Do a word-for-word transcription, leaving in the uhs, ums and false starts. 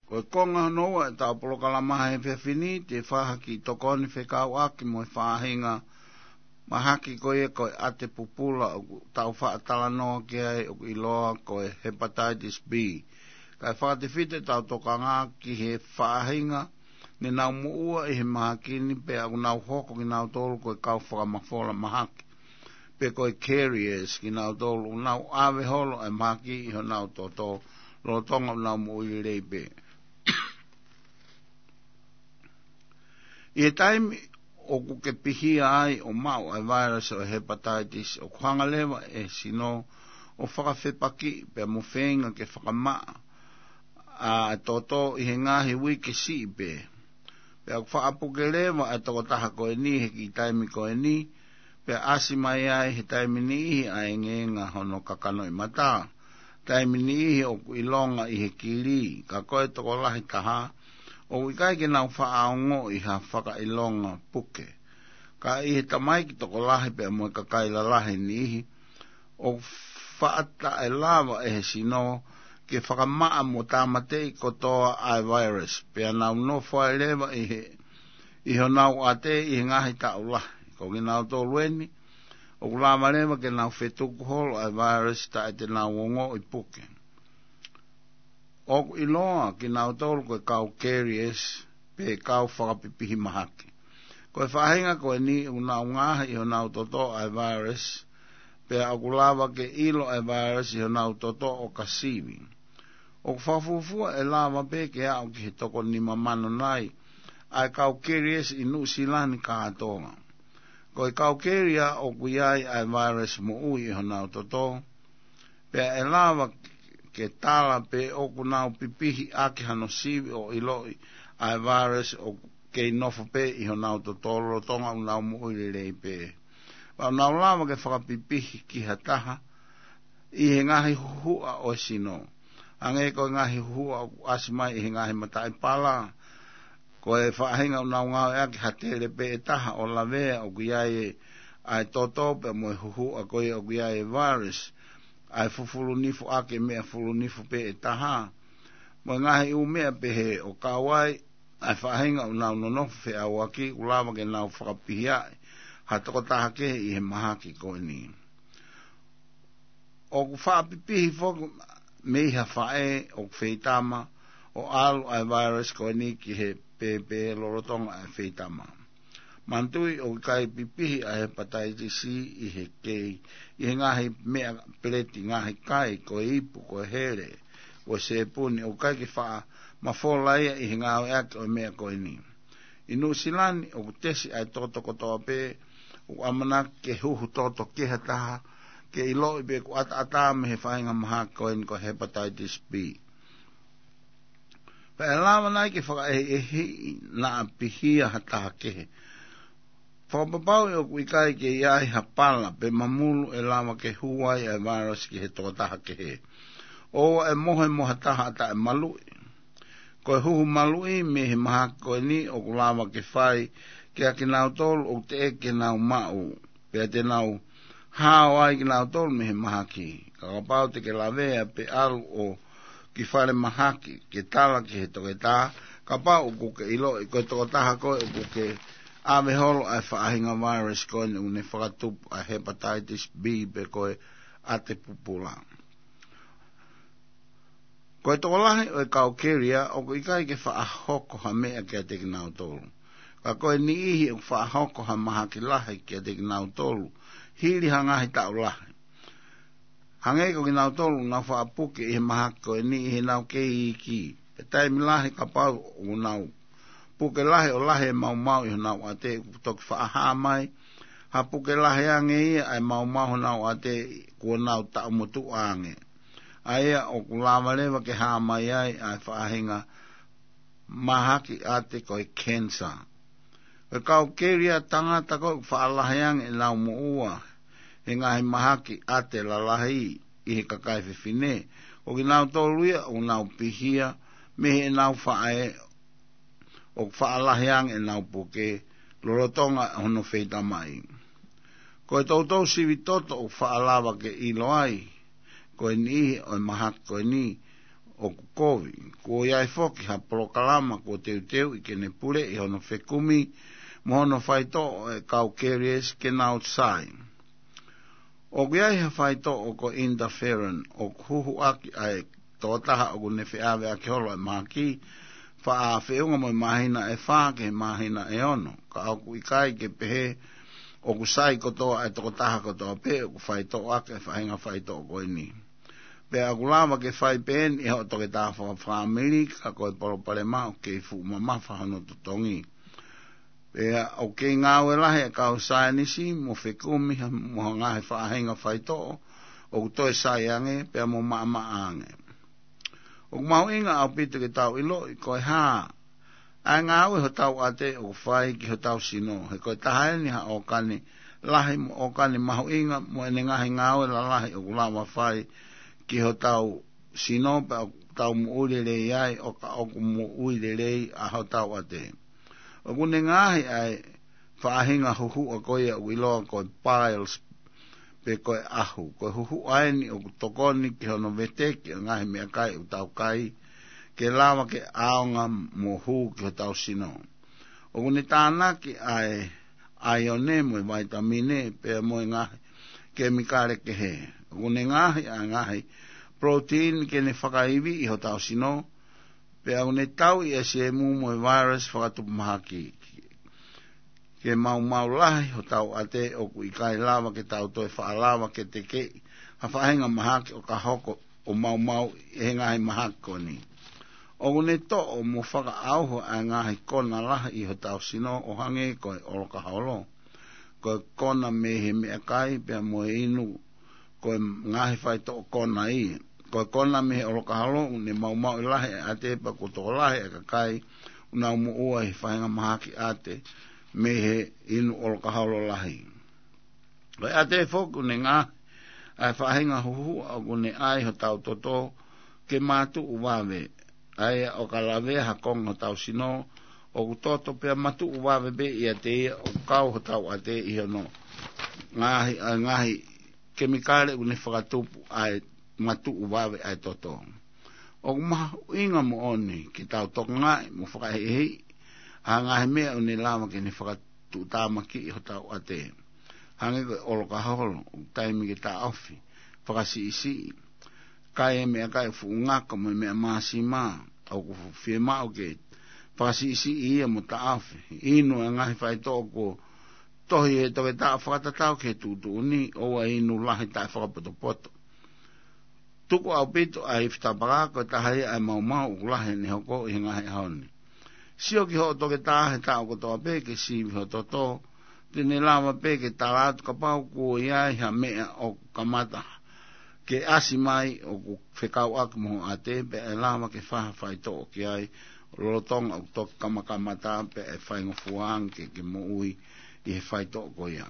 Ko e konga hono ua ʻetau polokalama he efiafi ni, te u fai ha kiʻi tokoni fekauʻaki mo e faʻahinga mahaki ko ia ko e ʻate pupula ʻoku tau faʻa talanoa ki ai ʻoku ʻiloa ko e hepatitis B. Kae fakatefito ʻetau tokanga ki he faʻahinga ne nau moʻua ʻi he mahaki ni pea ʻoku nau hoko kinautolu ko e kau fakamafola mahaki, pe ko e carriers kinautolu ʻoku nau ʻave holo e mahaki ʻi honau toto lolotonga ʻenau moʻui lelei pē. ʻI he taimi ʻoku ke pihia ai ʻo maʻu e vailasi ʻo e hepatitis, ʻoku hanga leva e sino ʻo fakafepakiʻi pea mo feinga ke fakamaʻa ʻa e toto ʻi he ngaahi uike siʻi pē. Pea ʻoku faʻa puke leva e tokotaha ko eni he kiʻi taimi ko eni, pea ʻasi mai ai he taimi niʻihi ʻa e ngaahi hono kakanoʻi mata, taimi niʻihi ʻoku ʻilonga ʻi he kili, ka ko e tokolahi taha ʻoku ʻikai ke nau faʻa ongoʻi ha fakaʻilonga puke. Ka ʻi he tamaiki tokolahi pea mo e kakai lalahi niʻihi, ʻoku faʻa taʻelava ʻe he sino ke fakamaʻa mo tāmateʻi kotoa ʻa e vailasi, pea nau nofo ai leva ʻi he, ʻi honau ʻate ʻi he ngaahi taʻu lahi. Ko kinautolu eni ʻoku lava leva ke nau fetuku holo ʻa e vailasi taʻe te nau ongoʻi puke. ʻOku ʻiloa kinautolu ko e kau carriers pe kau fakapipihi mahaki. Ko e faʻahinga ko eni ʻoku nau ngaohi ʻi honau toto ʻa e vailasi, pea ʻoku lava ke ʻilo e vailasi ʻi honau toto ʻo ka sivi. ʻOku fakafuofua ʻe lava pē ke aʻu ki he toko nima mano nai ʻa e kau carriers ʻi Nuʻu Sila ni kātoa. Ko e kau carrier ʻoku ʻi ai ʻa e vailasi moʻui ʻi honau toto, pea ʻe lava ke tala pe ʻoku nau pipihi ʻaki hano sivi ʻo ʻiloʻi ʻa e vailasi ʻoku kei nofo pē ʻi honau toto lolotonga ʻenau moʻui lelei pē. Pea ʻoku nau lava ke fakapipihi ki ha taha ʻi he ngaahi huhuʻa ʻo e sino. Hangē ko e ngaahi huhuʻa ʻoku ʻasi mai ʻi he ngaahi mataʻi pala, ko e faʻahinga ʻoku nau ngāueʻaki ha tele pē ʻe taha ʻo lavea ʻoku ʻi ai ʻa e toto pea mo e huhuʻa ko ia ʻoku ʻi ai e vailasi, ʻa e fufulu nifo ʻaki e meʻa fulu nifo pē ʻe taha, mo e ngaahi ʻū meʻa pehē, ʻo kau ai ʻa e faʻahinga ʻoku nau nonofo feʻauaki ʻoku lava ke nau fakapihiaʻi ha tokotaha kehe ʻi he mahaki ko eni. ʻOku faʻa pipihi foki mei ha faʻē ʻoku feitama ʻo ʻalu ʻa e vailasi ko eni ki he pēpē lolotonga ʻa e feitama. Manatuʻi ʻoku ʻikai pipihi ʻa e hepatitis C ʻi he kei, ʻi he ngaahi meʻa peleti, ngaahi kai, ko e ipu, ko e hele, ko e sēpuni, ʻoku ʻikai ke faʻa mafola ia ʻi he ngāueʻaki ʻo e meʻa ko eni. ʻI Nuʻu Sila ni ʻoku tesi ʻa e toto kotoa pē ʻoku ʻamanaki ke huhu toto ki ha taha, ke ʻiloʻi pe ʻoku ʻataʻatā mei he faʻahinga mahaki ko eni ko e hepatitis B. Pea ʻe lava nai ke fakaʻehiʻehiʻi naʻa pihia ha taha kehe? Fakapapauʻi ʻoku ʻikai ke ʻi ai ha pala pe mamulu ʻe lava ke hū ai ʻa e vailasi ki he tokotaha kehe. ʻOua ʻe mohe mo ha taha taʻe maluʻi. Ko e huhu maluʻi mei he mahaki ko eni ʻoku lava ke fai kiate kinautolu ʻoku teʻeki ke nau maʻu, pea te nau hao ai kinautolu mei he mahaki. Ka kapau te ke lavea pe ʻalu ʻo ki fale mahaki ke tala ki he toketā, kapau ʻoku ke ʻiloʻi ko e tokotaha koe ʻoku ke ʻave holo ʻa e faʻahinga vailasi ko eni ʻoku ne fakatupu ʻa e hepatitis B pe ko e ʻate pupula. Ko e tokolahi ʻo e kau carrier ʻoku ʻikai ke faʻa hoko ha meʻa kiate kinautolu. Ka ko e niʻihi ʻoku faʻa hoko ha mahaki lahi kiate kinautolu hili ha ngaahi taʻu lahi. Hangē ko kinautolu ʻoku nau faʻa puke ʻi he mahaki ko eni ʻi heʻenau kei iiki. Pea taimi lahi kapau ʻoku nau puke lahi ʻo lahi e maumau ʻi honau ʻate, ʻoku toki faʻa hā mai ha puke lahi ange ia ʻa e maumau honau ʻate kuo nau taʻu motuʻa ange. ʻA ia ʻoku lava leva ke hā mai ai ʻa e faʻahinga mahaki ʻate ko e cancer. Ko e kau carrier tangata ko ē ʻoku faʻa lahi ange ʻenau moʻua he ngaahi mahaki ʻate lalahi ʻi he kakai fefine, ko kinautolu ia ʻoku nau pihia mei heʻenau faʻē ʻoku faʻa lahi ange ʻenau puke lolotonga hono feitamaʻi. Ko e toutou sivi toto ʻoku faʻa lava ke ʻilo ai ko e niʻihi ʻo e mahaki ko eni ʻoku kovi. Kuo ʻi ai foki ha polokalama kuo teuteuʻi ke ne puleʻi hono fekumi mo hono faitoʻo e kau carriers ke nau sai. ʻOku ʻi ai ha faitoʻo ko e interferon ʻoku huhuʻaki ʻa e tokotaha ʻoku ne feʻaveʻaki holo e mahaki, faʻa feʻunga mo e māhina ʻe fā ki he māhina ʻe ono, ka ʻoku ʻikai ke pehē ʻoku sai kotoa e tokotaha kotoa pē ʻoku faitoʻoʻaki e faʻahinga faitoʻo ko eni. Pea ʻoku lava ke fai pē eni ʻe hoʻo toketā fakafāmili, ka ko e palopalema ʻoku kei fuʻu mamafa hono totongi. Pea ʻoku kei ngāue lahi e kau saienisi mo fekumi ha, mo ha ngaahi faʻahinga faitoʻo ʻoku toe sai ange pea mo maʻamaʻa ange. ʻOku mahuʻinga ʻaupito ke tau ʻiloʻi ko e hā ʻa e ngāue hotau ʻate ʻoku fai ki hotau sino, he ko e taha eni ha ʻōkani lahi mo ʻōkani mahuʻinga mo ʻene ngaahi ngāue lalahi ʻoku lava fai ki hotau sino, pea ʻoku tau moʻui lelei ai, ʻo ka ʻoku moʻui lelei ʻa hotau ʻate. ʻOku ne ngaohi ʻa e faʻahinga huhuʻa ko ia ʻoku ʻiloa ko e piles, pe ko e ʻahu. Ko e huhuʻa eni ʻoku tokoni ki hono veteki ʻa e ngaahi meʻakai ʻoku tau kai, ke lava ke ʻaonga mo hū ki hotau sino. ʻOku ne tānaki ʻa e ʻaione mo e vaitamine, pea mo e ngaahi kemikale kehe. ʻOku ne ngaohi ʻa e ngaahi protein ke ne fakaiviʻi hotau sino, pea ʻoku ne tauʻi ʻa e siemu mo e virus fakatupu mahaki. Ke maumau lahi hotau ʻate ʻoku ʻikai lava ke tau toe faʻa lava ke tekeʻi ha faʻahinga mahaki ʻo ka hoko ʻo maumau ʻe he ngaahi mahaki ko eni. ʻOku ne toʻo mo fakaʻauha ʻa e ngaahi kona lahi ʻi hotau sino ʻo hangē ko e ʻolokaholo, ko e kona mei he meʻakai pea mo e inu, ko e ngaahi faitoʻo kona ia. Ko e kona mei he ʻolokaholo ʻoku ne maumauʻi lahi e ʻate pea kuo tokolahi e kakai ʻoku nau moʻua he faʻahinga mahaki ʻate mei he inu ʻolokaholo lahi. Ko e ʻate foki ʻoku ne ngaohi ʻa e faʻahinga huhuʻa ʻoku ne ʻai hotau toto ke matuʻu vave, ʻa ia ʻo ka lavea ha konga hotau sino ʻoku toto pea matuʻu vave pē ʻiate ia ʻoku kau hotau ʻate ʻi hono ngaohi ʻa e ngaahi kemikale ʻoku ne fakatupu ʻa e matuʻu vave ʻa e toto. ʻOku mahuʻinga moʻoni ke tau tokangaʻi mo fakaʻehiʻehiʻi ʻa e ngaahi meʻa ʻoku ne lava ke ne fakatuʻutāmakiʻi hotau ʻate. Hangē ko e ʻolokaholo, ʻoku taimi ke taʻofi, fakasiʻisiʻi. Kai e meʻakai fuʻu ngako mo e meʻa māsima, ʻoku fiemaʻu ke fakasiʻisiʻi ia mo taʻofi. Inu e ngaahi faitoʻo kuo tohi he toketā fakatatau ki he tuʻutuʻuni, ʻoua ʻe inu lahi taʻefakapotopoto. Tuku ʻaupito ʻa e ifi tapaka, ko e taha ia ʻa e maumau ʻoku lahi ʻene hoko ʻi he ngaahi ʻaho ni. Sio ki hoʻo toketā he taʻu kotoa pē ke sivi ho toto, te ne lava pē ke tala atu kapau kuo ʻi ai ha meʻa ʻoku kamata ke ʻasi mai ʻoku fekauʻaki mo ho ʻate, pea ʻe lava ke fai ha faitoʻo ki ai lolotonga ʻoku toki kamakamata, pea ʻe faingofua ange ke, ke moʻui ʻi he faitoʻo ko ia.